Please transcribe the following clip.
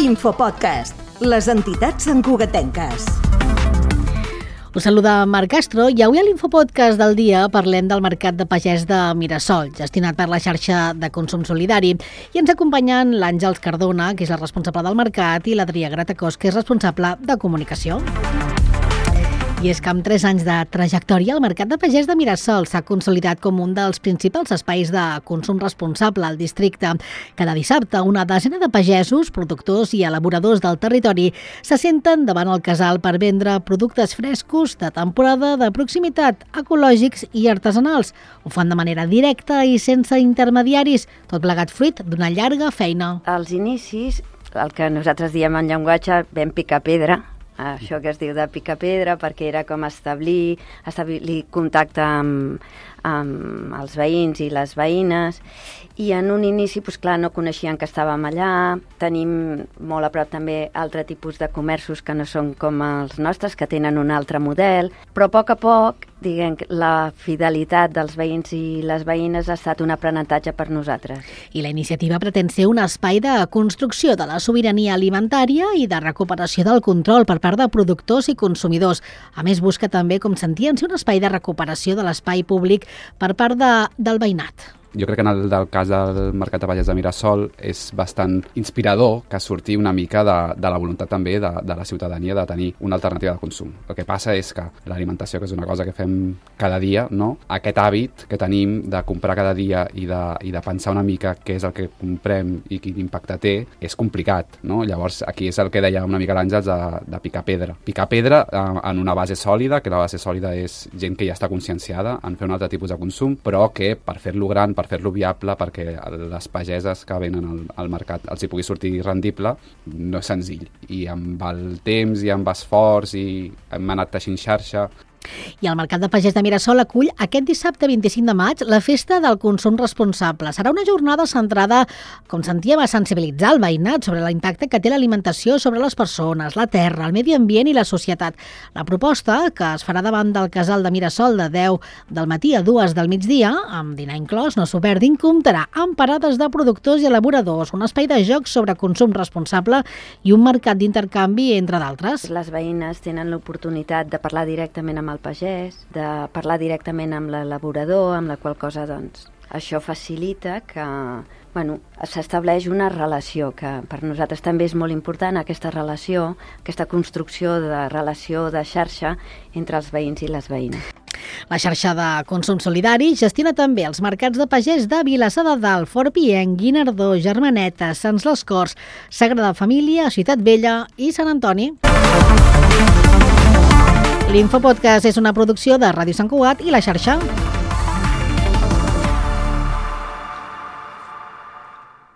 Infopodcast, les entitats santcugatenques. Us saluda Marc Castro i avui a l'Infopodcast del dia parlem del Mercat de Pagès de Mirasol, gestionat per la xarxa de consum solidari. I ens acompanyen l'Àngels Cardona, que és la responsable del mercat, i l'Adrià Gratacós, que és responsable de comunicació. I és que amb 3 anys de trajectòria, el Mercat de Pagès de Mirasol s'ha consolidat com un dels principals espais de consum responsable al districte. Cada dissabte, una desena de pagesos, productors i elaboradors del territori se senten davant el casal per vendre productes frescos de temporada, de proximitat, ecològics i artesanals. Ho fan de manera directa i sense intermediaris, tot plegat fruit d'una llarga feina. Als inicis, el que nosaltres diem en llenguatge, vam picar pedra, això que es diu de picar pedra, perquè era com establir contacte amb els veïns i les veïnes, i en un inici, doncs clar, no coneixien que estàvem allà. Tenim molt a prop també altre tipus de comerços que no són com els nostres, que tenen un altre model, però a poc, diguem, la fidelitat dels veïns i les veïnes ha estat un aprenentatge per nosaltres. I la iniciativa pretén ser un espai de construcció de la sobirania alimentària i de recuperació del control per part de productors i consumidors. A més, busca també, com sentíem, ser un espai de recuperació de l'espai públic per part del veïnat. Jo crec que en el cas del Mercat de Pagès de Mirasol és bastant inspirador que surti una mica de la voluntat també de la ciutadania de tenir una alternativa de consum. El que passa és que l'alimentació, que és una cosa que fem cada dia, no? Aquest hàbit que tenim de comprar cada dia i de pensar una mica què és el que comprem i quin impacte té, és complicat, no? Llavors, aquí és el que deia una mica l'Àngels de picar pedra. Picar pedra en una base sòlida, que la base sòlida és gent que ja està conscienciada en fer un altre tipus de consum, però que per fer-lo gran, per fer-lo viable, perquè les pageses que venen al mercat els hi pugui sortir rendible, no és senzill. I amb el temps i amb esforç i hem anat teixint xarxa. I el Mercat de Pagès de Mirasol acull aquest dissabte 25 de maig la Festa del Consum Responsable. Serà una jornada centrada, com sentíem, a sensibilitzar el veïnat sobre l'impacte que té l'alimentació sobre les persones, la terra, el medi ambient i la societat. La proposta, que es farà davant del casal de Mirasol de 10 del matí a 2 del migdia, amb dinar inclòs, no s'ho perdin, comptarà amb parades de productors i elaboradors, un espai de jocs sobre consum responsable i un mercat d'intercanvi, entre d'altres. Les veïnes tenen l'oportunitat de parlar directament amb el pagès, de parlar directament amb l'elaborador, amb la qual cosa, doncs, això facilita que, s'estableix una relació, que per nosaltres també és molt important aquesta relació, aquesta construcció de relació de xarxa entre els veïns i les veïnes. La xarxa de consum solidari gestiona també els mercats de pagès de Vilassar de Dalt, Fort Pienc, Guinardó, Germaneta, Sants les Corts, Sagrada Família, Ciutat Vella i Sant Antoni. L'Infopodcast és una producció de Ràdio Sant Cugat i la xarxa.